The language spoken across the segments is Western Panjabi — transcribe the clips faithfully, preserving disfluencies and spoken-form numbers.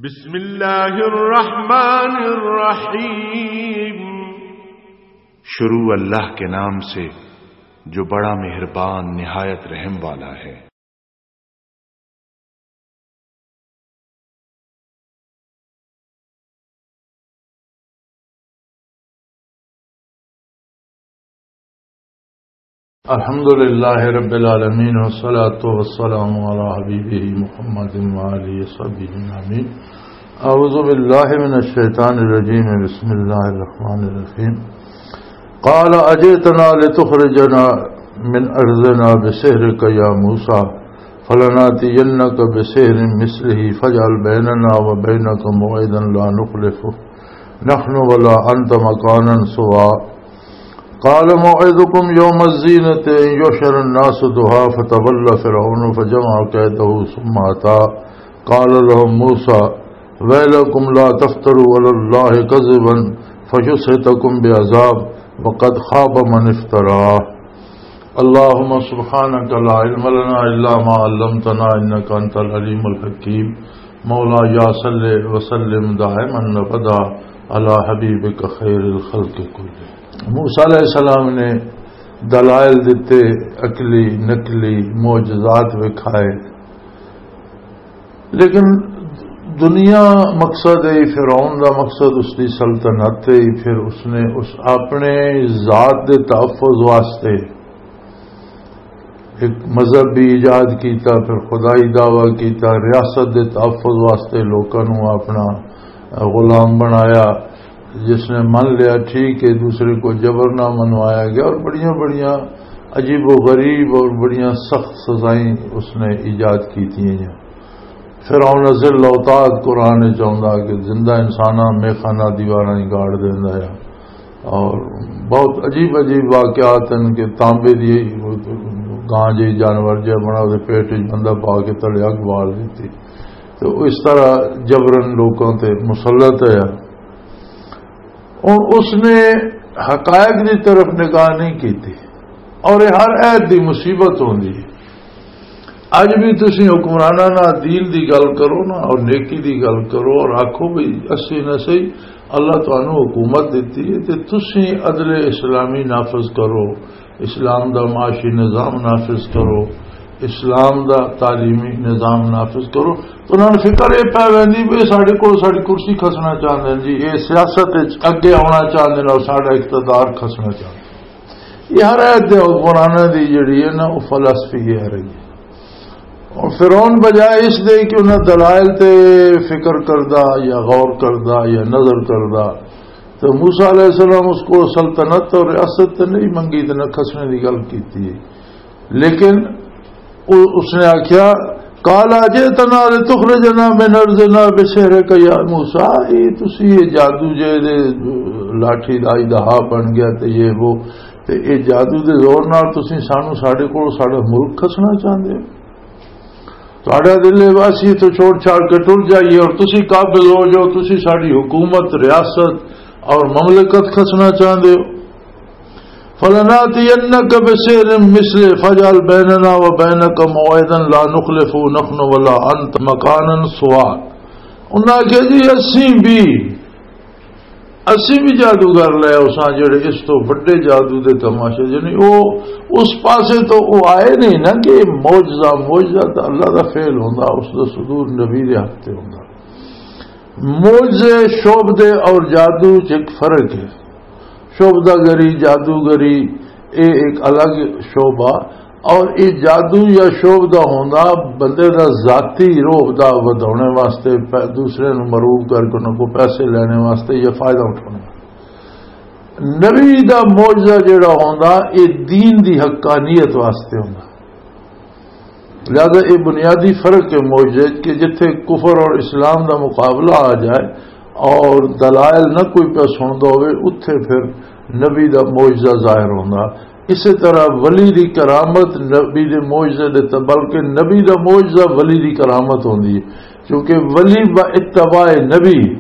بسم اللہ الرحمن الرحیم۔ شروع اللہ کے نام سے، جو بڑا مہربان، نہایت رحم والا ہے۔ الحمد لله رب العالمين، والصلاة والسلام على حبيبه محمد وآله وصحبه أجمعين. أعوذ بالله من الشيطان الرجيم. بسم الله الرحمن الرحيم. قال أجئتنا لتخرجنا من أرضنا بسحرك يا موسى، فلنأتينك بسحر مثله فاجعل بيننا وبينك موعدا لا نخلفه نحن ولا أنت مكانا سوى. قال موعدكم يوم الزينة أن يحشر الناس ضحى فتولى فرعون فجمع كيده ثم أتى. قال لهم موسى ويلكم لا تفتروا على الله كذبا فيسحتكم بعذاب وقد خاب من افترى. اللهم سبحانك لا علم لنا إلا ما علمتنا إنك أنت العليم الحكيم. مولا یا صلی وسلم دائما ابدا على حبيبك خير الخلق كلهم. موسیٰ علیہ السلام نے دلائل دیتے، عقلی، نقلی معجزات وکھائے، لیکن دنیا مقصد ہے، فرعون دا مقصد اس دی سلطنت ہے۔ پھر اس نے اس اپنے ذات دے تحفظ واسطے ایک مذہب بھی ایجاد کیتا، پھر خدائی دعویٰ کیتا، ریاست دے تحفظ واسطے لوکاں نوں اپنا غلام بنایا۔ جس نے من لیا ٹھیک ہے، دوسرے کو جبر نہ منوایا گیا، اور بڑیاں بڑیاں عجیب و غریب اور بڑیاں سخت سزائیں اس نے ایجاد کی تھیں۔ فرعون ذل اوتاد قرآن وچ آوندا کہ زندہ انساناں میخانہ دیواراں ہی گاڑ دیندا ہے، اور بہت عجیب عجیب واقعات ہیں کہ تانبے دی گاں جی جانور جہا بنا، اس پیٹ وچ بندہ پا کے تلے اگ بال دتی۔ تو اس طرح جبرن لوکاں تے مسلط ہے۔ اور اس نے حقائق دی طرف نگاہ نہیں کیتی۔ اور یہ ہر عہد دی مصیبت ہوندی ہے۔ اج بھی تسی حکمراناں نال دین دی گل کرو نا اور نیکی دی گل کرو اور آکھو بھی اسی نہ صحیح، اللہ تانوں حکومت دتی ہے تے تسی عدل اسلامی نافذ کرو، اسلام دا معاشی نظام نافذ کرو، اسلام دا تعلیمی نظام نافذ کرو۔ تو انہاں نوں فکر یہ پی ویندی بھی ساڈے کول ساڈی کرسی کھسنا چاہندے نے جی، یہ سیاست وچ اگے آنا چاہندے نے اور ساڈا اقتدار کھسنا چاہندے۔ یہ ہر عہد دے حکمراناں دی جڑی ہے نا، وہ فلسفی یہ رہی ہے۔ اور فرعون بجائے اس دے کہ انہاں دلائل تے فکر کردا یا غور کردا یا نظر کردا، تو موسیٰ علیہ السلام اس کو سلطنت اور ریاست تے نہیں منگی تے نہ کھسنے دی گل کیتی ہے۔ لیکن او-، اس نے آکھیا، "قال اجئتنا لتخرجنا من ارضنا بسحرك يا موسى"، اے تسی یہ جادو جے دے لاٹھی دا دہا بن گیا تے یہ وہ، تے اے جادو دے زور نال تسی سانو ساڈے کول ساڈا ملک کھسنا چاہندے ہو؟ تہاڈا دل ہے بس یہ تو چھوڑ چھاڑ کے ٹر جائیے اور تسی قابض ہو جاؤ، تسی ساڈی حکومت، ریاست اور مملکت کھسنا چاہندے ہو؟ فلناتینک بسحر مثلہ فاجعل بیننا و بینک موعدا لا نخلفہ نحن ولا انت مکانا سوا۔ انہاں آکھیا جی اسی بھی، اسی بھی جادوگر لے اساں جڑے اس تو بڑے جادو دے تماشے، یعنی او اس پاسے تو او آئے نہیں نا کہ معجزہ، معجزہ تو اللہ دا فعل ہوندا، اس دا صدور نبی دے ہاتھ تے ہوندا۔ معجزے، شعبدے اور جادو چ ایک فرق ہے۔ شعبدہ گری، جادوگری، اے ایک الگ شعبہ، اور اے جادو یا شعبدہ ہوندا بندے دا ذاتی روح دا ودھاونے واسطے، پے-، دوسرے نوں مروب کر کے انہاں کو پیسے لینے واسطے یا فائدہ اٹھانے واسطے۔ نبی دا معجزہ جڑا ہوندا، اے دین دی حقانیت واسطے ہوندا۔ لہذا یہ بنیادی فرق ہے معجزے کہ جتھے کفر اور اسلام دا مقابلہ آ جائے اور دلائل نہ کوئی پہ سندا ہوئے، اتھے پھر نبی دا معجزہ ظاہر ہوندا۔ اسی طرح ولی دی کرامت نبی دے معجزے دے ت-، بلکہ نبی دا معجزہ ولی دی کرامت ہوندی ہے، کیونکہ ولی با اتباع نبی،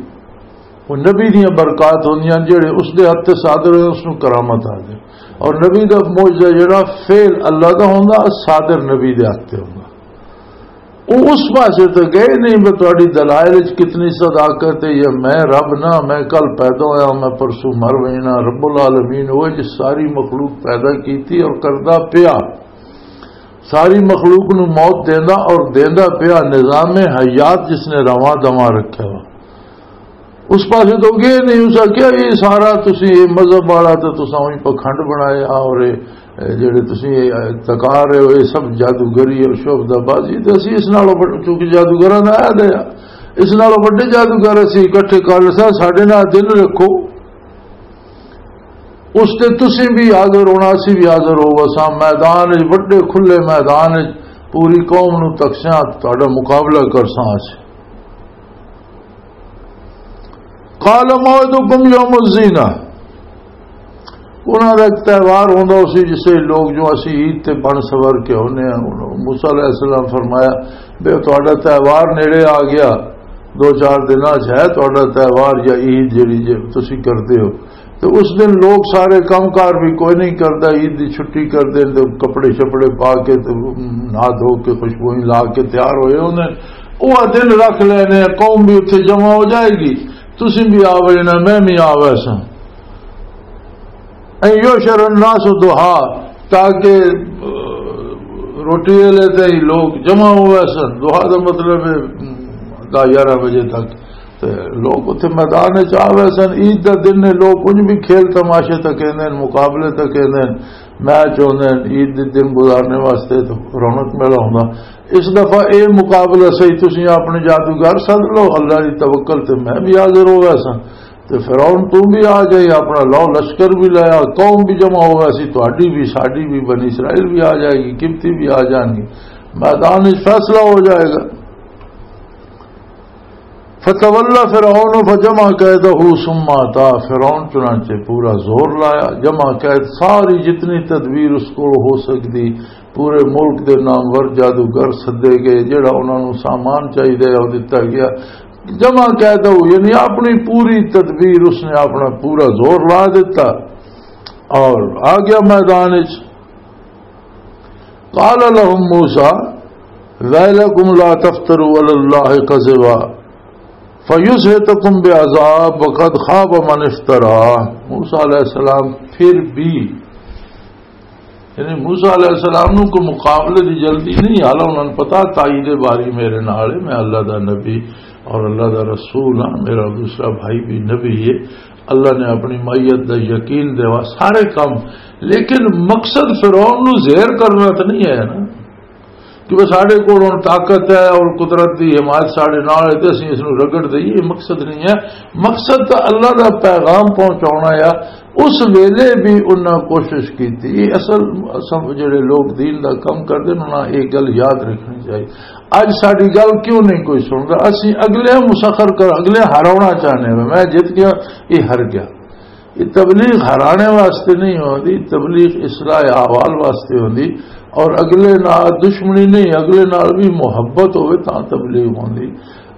وہ نبی دیاں برکات ہوندیاں، جڑے اس دے ہاتھ تے صادر ہوئے، اس نوں کرامت آ جائے۔ اور نبی دا معجزہ جڑا فعل اللہ دا ہوندا، صادر نبی دے ہاتھ تے ہوندا۔ وہ اس پاسے تو گئے نہیں، میں تہاڈی دلائل وچ کتنی صداقت ہے، یا میں رب نہ، میں کل پیدا ہویا، میں پرسوں مر وینا، رب العالمین وہ جس ساری مخلوق پیدا کیتی اور کردا پیا، ساری مخلوق نو موت دیندا اور دیندا پیا، نظام حیات جس نے رواں دواں رکھیا وا۔ اس پاسے تو گئے نہیں، اس آکھیا، "یہ سارا تسی، یہ مذہب والا تو تساں وہی پکھنڈ بنایا، اور یہ، یہ جڑے تسی یہ تکا رہے ہو، یہ سب جادوگری اور شعبدہ بازی، تو اسی اس نالوں وڈ-، کیونکہ جادوگراں دا عہد ہے، اس نالوں وڈے جادوگر اسی اکٹھے کر لسا، ساڈے نال دن رکھو۔" اس تے تسی بھی حاضر ہونا، اسی بھی حاضر ہو وساں، میدان وچ، وڈے کھلے میدان وچ پوری قوم نو تکسیاں، تہاڈا مقابلہ کرساں اسی۔ قال موعدکم یوم الزینہ۔ انہاں دا ایک تہوار ہوندا اسی، جسے لوگ جو اسی عید تے بن سور کے ہونے ہیں۔ موسیٰ علیہ السلام فرمایا، "بے تہاڈا تہوار نیڑے آ گیا، دو چار دناں چ ہے تہاڈا تہوار یا عید جڑی جے تسی کردے ہو۔" تو اس دن لوگ سارے کم کار بھی کوئی نہیں کردا، عید دی چھٹی کردے، تو کپڑے شپڑے پا کے، تو نہا دھو کے، خوشبوئیں لا کے تیار ہوئے ہوندے۔ وہ دن رکھ لینے، قوم بھی اتھے جمع ہو جائے گی، تسی بھی آ وینا، میں بھی آ ویساں۔ ان یحشر الناس ضحیٰ، تاکہ، آ، روٹی ویلے تے ہی لوگ جمع ہوئے سن۔ ضحیٰ دا مطلب ہے، آ، دس گیارہ بجے تک۔ تے لوگ اتھے میدان وچ آ ویسن۔ عید دا دن نے، لوگ انج بھی کھیل تماشے تے کہندے نے، مقابلے تے کہندے نے، میچ ہوندے نے، عید دے دن گزارنے واسطے تے رونق میلہ ہوندا۔ اس دفعہ اے مقابلہ صحیح، تسی اپنے جادوگر سد لو، اللہ دی توکل تے میں بھی حاضر ہو ویساں۔ تے فرعون تو بھی آ جائے، اپنا لو لشکر بھی لایا، قوم بھی جمع ہو ویسی، تہاڈی بھی، ساڈی بھی، بنی اسرائیل بھی آ جائے گی، قبطی بھی آ جان گی، میدان وچ فیصلہ ہو جائے گا۔ فتولى فرعون فجمع كيده ثم أتى۔ فرعون چنانچہ پورا زور لایا، جمع قید ساری جتنی تدبیر اس کو ہو سکتی، پورے ملک دے نامور جادوگر سدے گئے، جڑا انہاں نوں سامان چاہیدا ہے، او دتا گیا۔ جمع قید ہو، یعنی اپنی پوری تدبیر، اس نے اپنا پورا زور لا دیتا اور آ گیا میدان وچ۔ قال لهم موسى ويلكم لا تفتروا على الله كذبا فيسحتكم بعذاب وقد خاب من افترى۔ موسیٰ علیہ السلام پھر بھی، یعنی موسیٰ علیہ السلام نو کوئی مقابلے دی جلدی نہیں، حالا انہاں نوں پتا تائید باری میرے نال ہے، میں اللہ دا نبی اور اللہ دا رسول ہاں، میرا دوسرا بھائی بھی نبی ہے، اللہ نے اپنی معیت دا یقین دیوا سارے کم، لیکن مقصد فرعون نو زہر کرنا تو نہیں ہے نا، کہ بس ساڈے کول ہن طاقت ہے اور قدرت دی حمایت ساڈے نال ہے تے اسی اس نو رگڑ دئیے، یہ مقصد نہیں ہے۔ مقصد تو اللہ دا پیغام پہنچانا ہے۔ اس ویلے بھی انہاں کوشش کیتی۔ اصل، اصل جڑے لوگ دین دا کم کردے نے، انہاں یہ گل یاد رکھنی چاہیے۔ اج ساڈی گل کیوں نہیں کوئی سندا؟ اسی اگلے مسخر کر، اگلے ہراونا چاہنے ہیں۔ میں جت گیا، یہ ہر گیا۔ یہ تبلیغ ہرانے واسطے نہیں ہوندی، تبلیغ اصلاح احوال واسطے ہوندی۔ اور اگلے نال دشمنی نہیں، اگلے نال بھی محبت ہوئے تاں تبلیغ ہوندی۔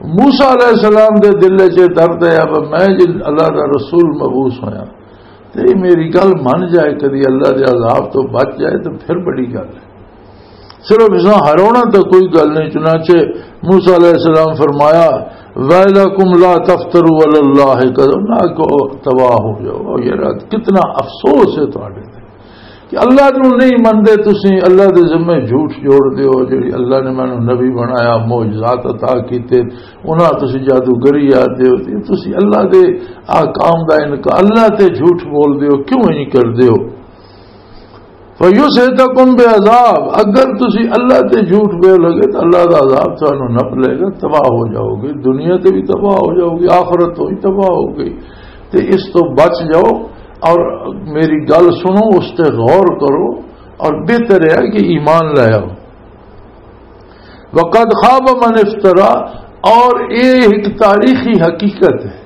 موسیٰ علیہ السلام دے دل وچ یہ درد ہے، اب میں جن اللہ دا رسول مبعوث ہویا، تے میری گل من جائے، کدی اللہ دے عذاب تو بچ جائے، تو پھر بڑی گل ہے۔ صرف اس ہراونا تو کوئی گل نہیں۔ چنانچہ موسیٰ علیہ السلام فرمایا، "ویلکم لا تفتروا علی اللہ کذبا"، نہ کہو تباہ ہو جاؤ۔ اور یہ رات کتنا افسوس ہے تہاڈے تے کہ اللہ نو نہیں مندے تسی، اللہ دے ذمے جھوٹ جوڑ دیو، جڑی اللہ نے مینوں نبی بنایا، معجزات عطا کیتے، انہاں تسی جادوگری آ دیو، تسی اللہ دے احکام دا انکار، اللہ تے جھوٹ بول دیو، کیوں نہیں کر دیو؟ فَيُسْحِتَكُمْ بِعَذَابٍ، اگر تسی اللہ تے جھوٹ بول لگے تو اللہ دا عذاب تانوں نپ لے گا، تباہ ہو جاؤ گے، دنیا تے بھی تباہ ہو جاؤ گے، آخرت تو بھی تباہ ہو گئی۔ تے اس تو بچ جاؤ اور میری گل سنو، اس تے غور کرو اور بہتر ہے کہ ایمان لے آؤ۔ وَقَدْ خَابَ مَنِ افْتَرَى، اور یہ ایک تاریخی حقیقت ہے۔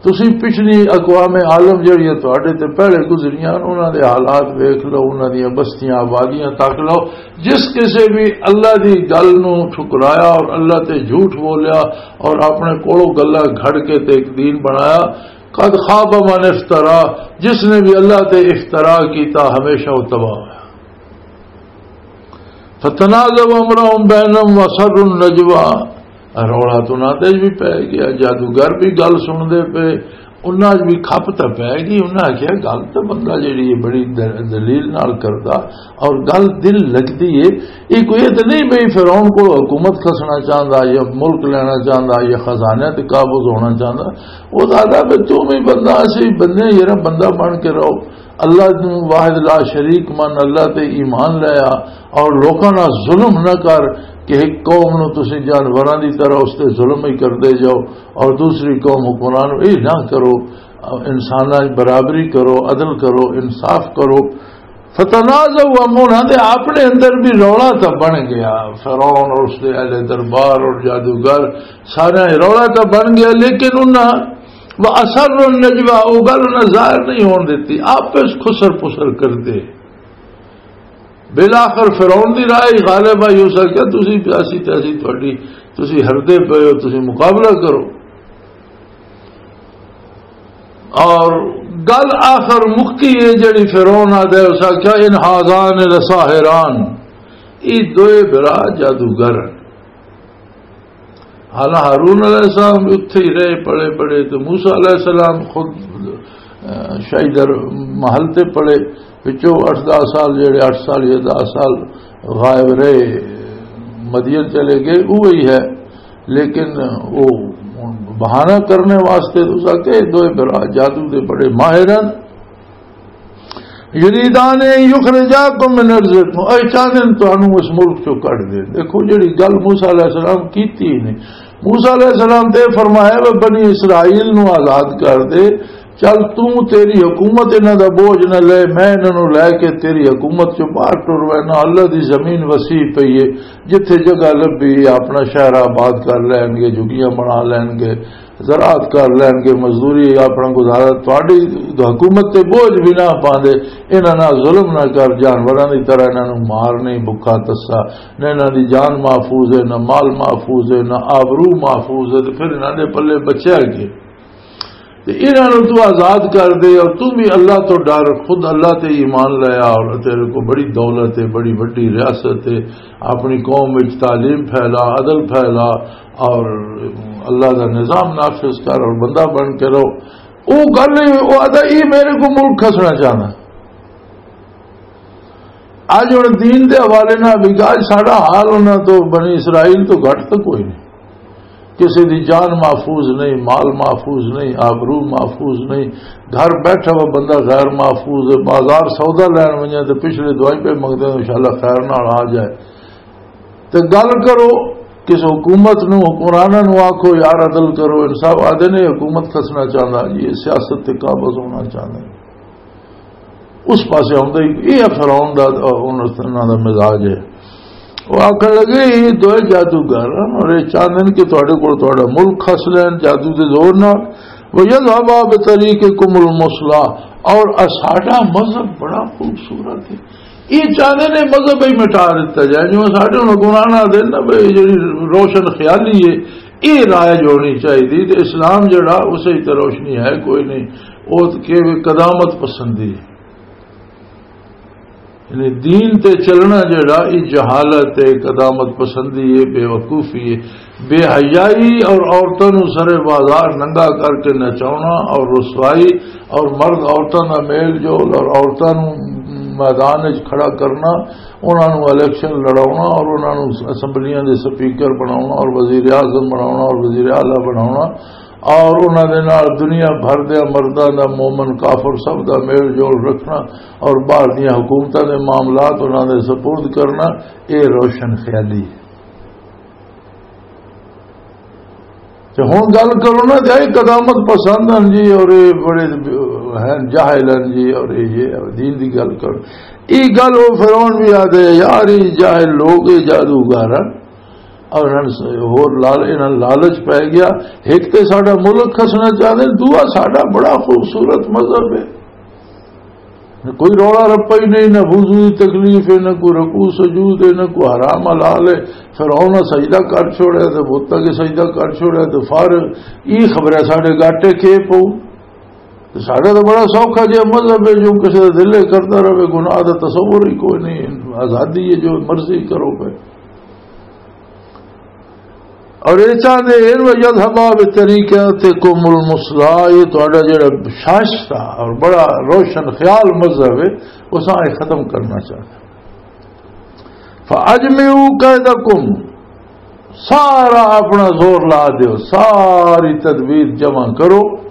تسی پچھلی اقوام عالم جڑیاں تہاڈے تے پہلے گزریاں، انہاں دے حالات ویکھ لو، انہاں دیاں بستیاں آبادیاں تک لو۔ جس کسے بھی اللہ دی گل نو ٹھکرایا اور اللہ تے جھوٹ بولیا اور اپنے کولوں گلاں گھڑ کے تے ایک دین بنایا، قد خاب من افترا، جس نے بھی اللہ تے افترا کیتا ہمیشہ وہ تباہ ہویا۔ فتنازعوا امرهم بینہم واسروا النجوی۔ رولا تو انہاں تے بھی پے گیا، جادوگر بھی گل سن دے پے، انہاں بھی کھپ تے پے گئی۔ انہاں آخیا، گل تے بندہ جیڑی ہے بڑی د-، دلیل نال کردا اور گل دل لگدی ہے۔ یہ کوئی تے نہیں بھئی فرعون کو حکومت کھسنا چاہندا یا ملک لینا چاہندا یا خزانے تے قابض ہونا چاہندا۔ وہ دادا بھی تو بھی بندہ، اسی بندے یارا بندہ بن کے رہو۔ اللہ نو واحد لا شریک من، اللہ تے ایمان لے آ، اور لوکاں نال ظلم نہ کر کہ ایک قوم نو تسی جانوراں دی طرح اس تے ظلم ہی کردے جاؤ، اور دوسری قوم حکمران نو اے نہ کرو، انساناں وچ برابری کرو، عدل کرو، انصاف کرو۔ فتنازعوا، انہاں دے اپنے اندر بھی رولا تھا بن گیا، فرعون اور اس دے اہل دربار اور جادوگر سارے رولا تھا بن گیا، لیکن انہاں وَأَسَرُّوا النَّجْوَىٰ، وہ گل انہاں ظاہر نہیں ہون دتی، آپس خسر پسر کردے۔ بالآخر فرعون دی رائے غالب آئی، اس آکھیا، "تسی پیاسی تیسی تہاڈی، تسی ہردے پئے ہو، تسی مقابلہ کرو۔" اور گل آخر مکی ہے جڑی فرعون آدھے، اس آکھیا، "إِنْ هَٰذَانِ لَسَاحِرَانِ"، یہ دوئے بھرا جادوگر ہیں۔ حالانکہ ہارون علیہ السلام بھی اتھے ہی رہے، پڑھے پڑھے، تو موسیٰ علیہ السلام خود، آ، شاہی در محل تے پڑھے، پچھوں اٹھ دس سال، جڑے اٹھ سال یا دس سال غائب رہے، مدین چلے گئے، وہی ہے۔ لیکن وہ بہانہ کرنے واسطے تو سا کہ دوئے برا جادو دے بڑے ماہر ہیں۔ یریدان ان یخرجاکم من ارضکم، اے چاہندے نے تانوں اس ملک چوں کڈ دے۔ دیکھو جڑی گل موسیٰ علیہ السلام کیتی نے، موسیٰ علیہ السلام تے فرمایا، "وہ بنی اسرائیل نو آزاد کر دے، چل توں تیری حکومت انہاں دا بوجھ نہ لے، میں انہاں نو لے کے تیری حکومت چوں باہر ٹر وینا، اللہ دی زمین وسیع پئی ہے، جتھے جگہ لبھی اپنا شہر آباد کر لین گے، جھگیاں بنا لین گے۔" زراعت کر لین گے، مزدوری، اپنا گزارا، تہاڈی حکومت تے بوجھ بھی نہ پاندے، انہاں نال ظلم نہ کر، جانوراں دی طرح انہاں نوں مار نہیں، بھکھا تسا، نہ انہاں دی جان محفوظ ہے، نہ مال محفوظ ہے، نہ آبرو محفوظ ہے، تے پھر انہاں دے پلے بچیا کی؟ تے انہاں نوں تو آزاد کر دے، اور تو بھی اللہ تو ڈر، خود اللہ تے ایمان لے آ، اور تیرے کو بڑی دولت ہے، بڑی وڈی ریاست ہے، اپنی قوم وچ تعلیم پھیلا، عدل پھیلا، اور اللہ دا نظام نافذ کر اور بندہ بن کے رہو۔ او گل نہیں، او آدھا، "یہ میرے کو ملک کھسنا چاہنا۔" اج ہن دین دے حوالے نال بھی گل، ساڈا حال انہاں تو، بنی اسرائیل تو گھٹ تو کوئی نہیں۔ کسی دی جان محفوظ نہیں، مال محفوظ نہیں، آبرو محفوظ نہیں، گھر بیٹھا ہوا بندہ غیر محفوظ ہے، بازار سودا لین ونجے تو پچھلے دعائیں پہ منگتے ہیں، انشاءاللہ خیر نال آ جائے۔ تے گل کرو، کس حکومت نو، حکمراناں نو آکھو، "یار عدل کرو، انصاف۔" آدھے نے، "حکومت کھسنا چاہندا جی، یہ سیاست تے قابض ہونا چاہندا۔" اس پاسے آوندا ہی، یہ فرعون دا، انہاں دا مزاج ہے۔ وہ آکھن لگے، "یہ دوئے جادوگر ہیں اور یہ چاہندے نے کہ تہاڈے کول تہاڈا ملک کھس لین جادو دے زور نال، وَيَذْهَبَا بِطَرِيقِكُمُ الْمُثْلَىٰ، اور ساڈا مذہب بڑا خوبصورت ہے۔" یہ چاہندے نے مذہب ہی مٹا دیتا جائے، جو ساڈے ہن قرآن آ دے نا بھئی، جڑی روشن خیالی ہے، یہ رائج ہونی چاہیے۔ تے اسلام جڑا، اسے تے روشنی ہے کوئی نہیں، وہ کہ قدامت پسندی ہے۔ یعنی دین تے چلنا جڑا، یہ جہالت ہے، قدامت پسندی ہے، بے وقوفی ہے۔ بے حیائی اور عورتوں نو سرے بازار ننگا کر کے نچاونا اور رسوائی اور مرد عورتوں دا میل جول اور عورتوں نو میدان وچ کھڑا کرنا، انہاں نو الیکشن لڑاونا اور انہاں نو اسمبلیاں دے سپیکر بناونا اور وزیر اعظم بناونا اور وزیر اعلیٰ بناونا اور انہاں دے نال دنیا بھر دے مرداں دا، مومن کافر سب دا میل جول رکھنا اور باہر دیاں حکومتاں دے معاملات انہاں دے سپرد کرنا، اے روشن خیالی ہے۔ تے ہن گل کرو نا، تے اے قدامت پسند ہن جی، اور اے بڑے ہن جاہل ہن جی، اور اے یہ دین دی گل کرو۔ اے گل او فرعون بھی آدھے، "یار، اے جاہل لوگ، اے جادوگر ہن۔" اور انہاں نے ہور لال-، انہاں لالچ پے گیا، ایک تے ساڈا ملک کھسنا چاہندے، دوجا ساڈا بڑا خوبصورت مذہب ہے۔ کوئی رولا رپا ہی نہیں، نہ وضو دی تکلیف ہے، نہ کوئی رکوع سجود ہے، نہ کوئی حرام حلال ہے۔ فرعون نے سجدہ کر چھوڑیا تے بت اگے سجدہ کر چھوڑیا تے فارغ۔ یہ خبر ہے ساڈے گاٹے کے پو۔ تے ساڈا تو بڑا سوکھا جہا مذہب ہے، جو کسی کا دل کرتا رہے، گناہ دا تصور ہی کوئی نہیں، آزادی ہے، جو مرضی کرو پہ۔ اور یہ چاہتے ہیں، "وَيَذْهَبَا بِطَرِيقَتِكُمُ الْمُثْلَىٰ"، یہ تہاڈا جڑا شاش تھا اور بڑا روشن خیال مذہب ہے، اساں یہ ختم کرنا چاہتے ہیں۔ فَأَجْمِعُوا كَيْدَكُمْ، سارا اپنا زور لا دیو، ساری تدبیر جمع کرو۔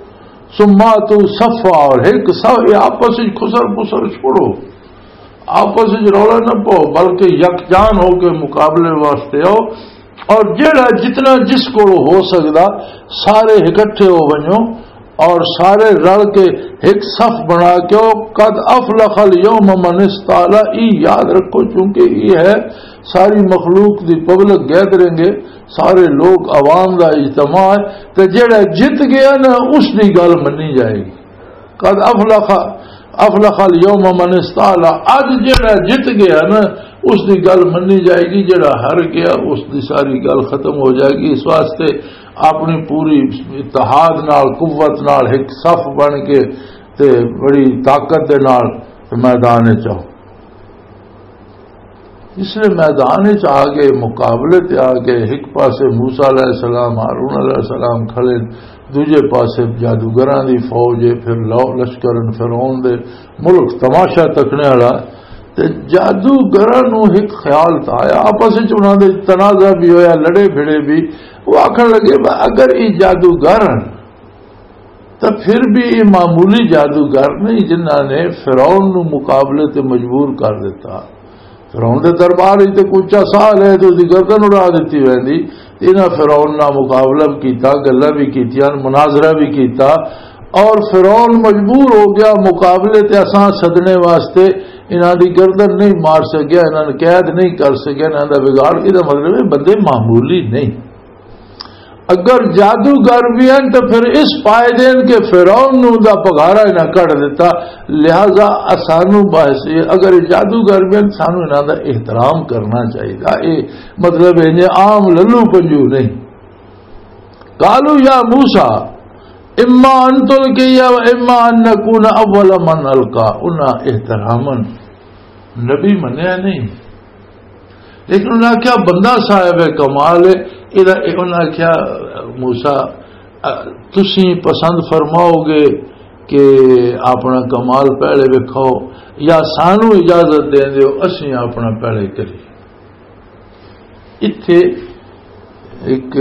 ثُمَّ ائْتُوا صَفًّا، اور ایک صف، یہ آپس وچ خسر پسر چھوڑو، آپس وچ رولا نہ پاؤ، بلکہ یکجان ہو کے مقابلے واسطے آؤ۔ اور جیڑا جتنا جس کو ہو سکدا، سارے اکٹھے ہو ونجو اور سارے رل کے ایک صف بنا کے او، "قد افلح الیوم من استعلی"، ای یاد رکھو، چونکہ یہ ہے ساری مخلوق دی پبلک گیدرنگ ہے، سارے لوگ عوام دا اجتماع ہے، تے جیڑا جت گیا نا، اس دی گل منی جائے گی۔ "قد افلح، افلح الیوم من استعلی"، اج جیڑا جت گیا نا، اس دی گل منی جائے گی، جیڑا ہار گیا، اس دی ساری گل ختم ہو جائے گی۔ اس واسطے اپنی پوری اتحاد نال، قوت نال، ایک صف بن کے تے بڑی طاقت دے نال تے میدان وچ آؤ۔ اس لیے میدان وچ آ گئے، مقابلے تے آ گئے، ایک پاسے موسیٰ علیہ السلام، ہارون علیہ السلام کھڑے، دوجے پاسے جادوگراں دی فوج ہے، پھر لو-، لشکر فرعون دے، ملک تماشا تکنے والا۔ تے جادوگراں نوں ایک خیال تھا آیا، آپس وچ انہاں دے تنازع بھی ہویا، لڑے بھڑے بھی۔ وہ آکھن لگے، "اگر یہ جادوگر ہن، تو پھر بھی یہ معمولی جادوگر نہیں جنہاں نے فرعون نوں مقابلے تے مجبور کر دیتا۔" فرعون دے دربار وچ تے کوئی اچا ساہ لے تے اس دی گردن اڑا دتی ویندی۔ انہاں فرعون نال مقابلہ بھی کیتا، گلاں بھی کیتیاں، مناظرہ بھی کیتا، اور فرعون مجبور ہو گیا مقابلے تے اساں سدنے واسطے۔ انہاں دی گردن نہیں مار سکیا، انہاں نے قید نہیں کر سکیا، انہاں دا بگاڑ۔ یہ مطلب ہے بندے معمولی نہیں۔ اگر جادوگر بھی ہیں تو پھر اس پائے دین کہ فرعون نوں دا پگھارا انہاں کڈ دیتا، لہذا اسانوں باعث یہ، اگر یہ جادوگر بھی ہیں، سانوں انہاں دا احترام کرنا چاہیے۔ یہ مطلب ہے، یہ عام للو پنجو نہیں۔ "قالوا یا موسیٰ، اما ان تلقی و اما ان نکون اول من القی"، انہاں احتراماً نبی منیا نہیں، لیکن انہاں آکھیا، "بندہ صاحب کمال ہے۔" انہاں آکھیا، "موسیٰ، تسی پسند فرماؤ گے کہ اپنا کمال پہلے وکھاؤ، یا سانو اجازت دین دیو، اسی اپنا پہلے کری۔" اتھے ایک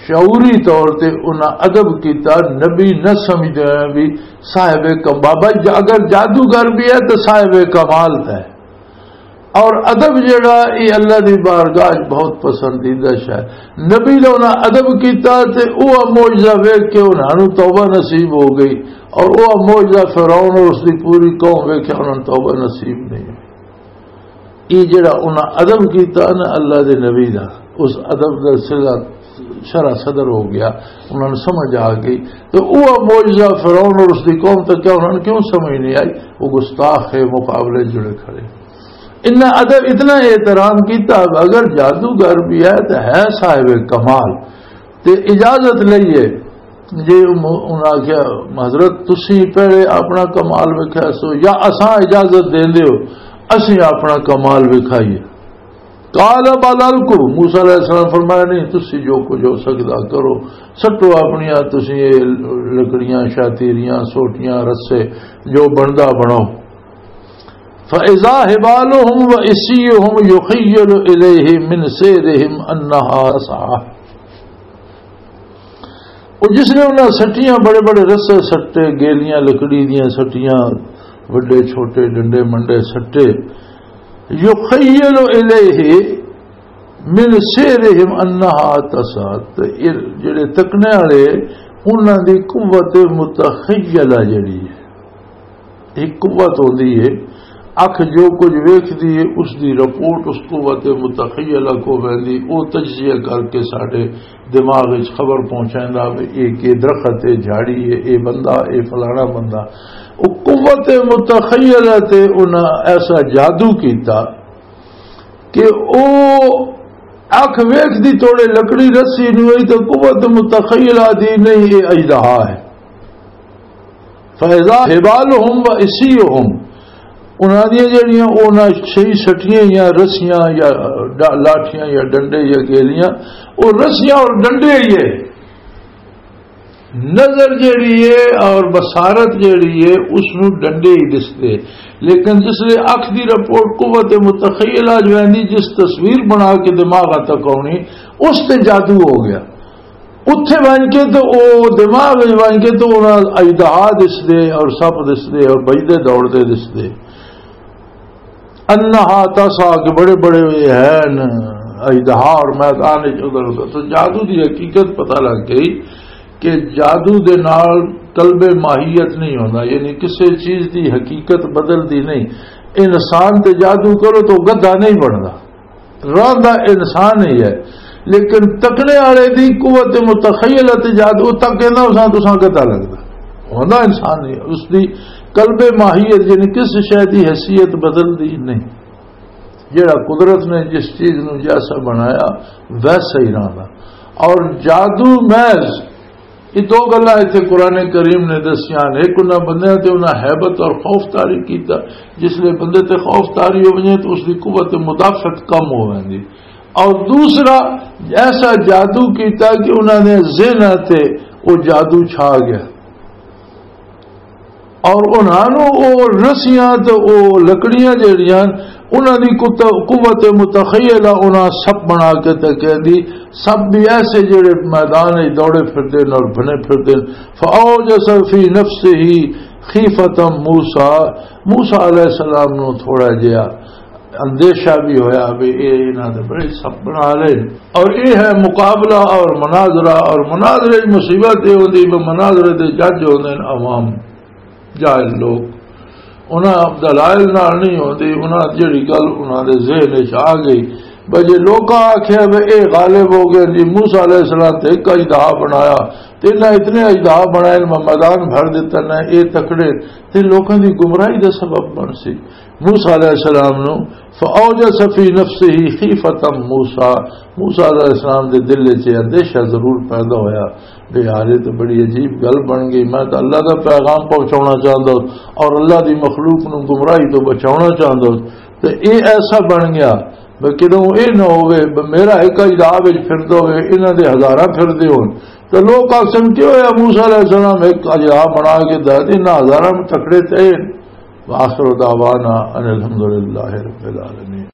شعوری طور تے انہاں ادب کیتا، نبی نہ سمجھدے ہوئے بھی صاحب کم-، بابا ج-، اگر جادوگر بھی ہے تو صاحب کمال ہے۔ اور ادب جڑا، یہ اللہ دی بارگاہ وچ بہت پسندیدہ شے۔ نبی دا انہاں ادب کیتا تے او معجزہ ویکھ کے انہاں نوں توبہ نصیب ہو گئی، اور او معجزہ فرعون اور اس دی پوری قوم ویکھیا، انہاں نوں توبہ نصیب نہیں ہوئی۔ یہ جڑا انہاں ادب کیتا نا اللہ دے نبی دا، اس ادب دا سرا، شرح صدر ہو گیا، انہاں نوں سمجھ آ گئی۔ تو او معجزہ فرعون اور اس دی قوم تک کیا انہاں نوں کیوں سمجھ نہیں آئی؟ وہ گستاخ ہے، مقابلے جڑے کھڑے۔ انہاں ادب اتنا احترام کیتا، اگر جادوگر بھی ہے تو ہے صاحب کمال۔ تے اجازت لئیے۔ جے انہاں آکھیا، "حضرت، تسی پہلے اپنا کمال ویکھیا سو یا اساں اجازت دیندے ہو، اسی اپنا کمال وکھائیے؟" قال بل القوا، موسیٰ علیہ السلام فرمایا، "نہیں، تسی جو کچھ ہو سکدا کرو، سٹو اپنیاں تسی یہ لکڑیاں، شاتیریاں، سوٹیاں، رسے، جو بندا بناؤ۔" فَإِذَا حِبَالُهُمْ وَعِصِيُّهُمْ يُخَيَّلُ إِلَيْهِ مِنْ سَيْرِهِمْ أَنَّهَا تَسْعَى۔ وہ جس نے انہاں سٹیاں، بڑے بڑے رسے سٹے، گیلیاں لکڑی دیاں سٹیاں، وڈے چھوٹے ڈنڈے منڈے سٹے، يُخَيَّلُ إِلَيْهِ مِنْ سَيْرِهِمْ أَنَّهَا تَسْعَى، تے اے جڑے تکنے والے، انہاں دی قوت متخیلہ جڑی ہے، ایک قوت ہوندی ہے، اکھ جو کچھ ویکھدی ہے، اس دی رپورٹ اس قوت متخیلہ کو ویندی، او تجزیہ کر کے ساڈے دماغ وچ خبر پہنچیندا وے، اے کہ درخت ہے، جھاڑی ہے، اے بندہ، اے فلانا بندہ۔ او قوت متخیلہ تے انہاں ایسا جادو کیتا کہ او اکھ ویکھدی توڑے لکڑی رسی نوں، اے تے قوت متخیلہ دی نہیں، اے اژدہا ہے۔ فَإِذَا حِبَالُهُمْ وَعِصِيُّهُمْ، انہاں دیاں جڑیاں، انہاں صحیح سٹیاں یا رسیاں یا ڈا-، لاٹھیاں یا ڈنڈے یا گیلیاں، او رسیاں اور ڈنڈے ہی ہے۔ نظر جڑی ہے اور بصارت جڑی ہے، اس نوں ڈنڈے ہی دسدے۔ لیکن جس لے اکھ دی رپورٹ قوت متخیلہ جو ہے، جس تصویر بنا کے دماغ تک آنی، اس تے جادو ہو گیا۔ اتھے ونج کے تے او دماغ وچ ونج کے تے انہاں اژدہا دسدے اور سپ دسدے اور بجدے دوڑدے دسدے۔ انہا تسعی، کہ بڑے بڑے یہ ہیں اژدہا اور میدان وچ ادھر ادھر۔ تو جادو دی حقیقت پتہ لگ گئی کہ جادو دے نال قلب ماہیت نہیں ہوندا، یعنی کسے چیز دی حقیقت بدلدی نہیں۔ انسان تے جادو کرو تو گدھا نہیں بندا، رہندا انسان ہی ہے۔ لیکن تکنے والے دی قوت متخیلہ تے جادو تک کہنا اساں تساں گدھا لگدا، ہوندا انسان ہی ہے۔ اس دی قلب ماہیت یعنی کس شے دی حیثیت بدلدی نہیں۔ جڑا قدرت نے جس چیز نو جیسا بنایا، ویسا ہی رہنا۔ اور جادو محض، یہ دو گلاں اتھے قرآن کریم نے دسیاں نے۔ ایک انہاں بندیاں تے انہاں ہیبت اور خوف طاری کیتا، جس لے بندے تے خوف طاری ہو وجے تو اس دی قوت مدافعت کم ہو ویندی۔ اور دوسرا، ایسا جادو کیتا کہ انہاں نے ذہن تے وہ جادو چھا گیا۔ اور انہاں نوں او رسیاں تے او لکڑیاں جڑیاں، انہاں دی قوت، قوت متخیلہ انہاں سپ بنا کے تے کہندی، سپ بھی ایسے جڑے میدان وچ دوڑے پھردے نے اور بھنے پھردے نے۔ فَأَوْجَسَ فِي نَفْسِهِ خِيفَةً مُوسَىٰ، موسیٰ علیہ السلام نوں تھوڑا جہا اندیشہ بھی ہویا بھی اے انہاں دے بڑے سپ بنا لے۔ اور اے ہے مقابلہ اور مناظرہ، اور مناظرے دی مصیبت اے ہوندی بھی مناظرے دے جج ہوندے نے عوام، جاہل لوگ، انہاں دلائل نال نہیں ہوندی، انہاں جڑی گل انہاں دے ذہن وچ آ گئی، بھئی جے لوکاں آکھیا وے اے غالب ہو گئے جی، موسیٰ علیہ السلام تے ایک اژدہا بنایا، تے انہاں اتنے اژدہا بنائے، میں میدان بھر دیتا، نہ اے تکڑے، تے لوکاں دی گمراہی دا سبب بن سی۔ موسیٰ علیہ السلام نو، فَأَوْجَسَ فِي نَفْسِهِ خِيفَةً مُوسَىٰ، موسیٰ علیہ السلام دے دل وچ یہ اندیشہ ضرور پیدا ہویا، بے حالے تو بڑی عجیب گل بن گئی، میں تو اللہ دا پیغام پہنچانا چاہتا ہوں اور اللہ دی مخلوق نو گمراہی تو بچانا چاہتا ہوں، تو اے ایسا بن گیا۔ بھئی کدوں اے نہ ہووے، بھئی میرا ایک اژدہا وچ پھردا ہووے، انہاں دے ہزاراں پھردے ہون۔ تے لوک آکھن، "کیوں ہویا موسیٰ علیہ السلام ایک اژدہا بنا کے دے دے، انہاں ہزاراں میں تکڑے تے؟" وآخر دعوانا ان الحمدللہ رب العالمین۔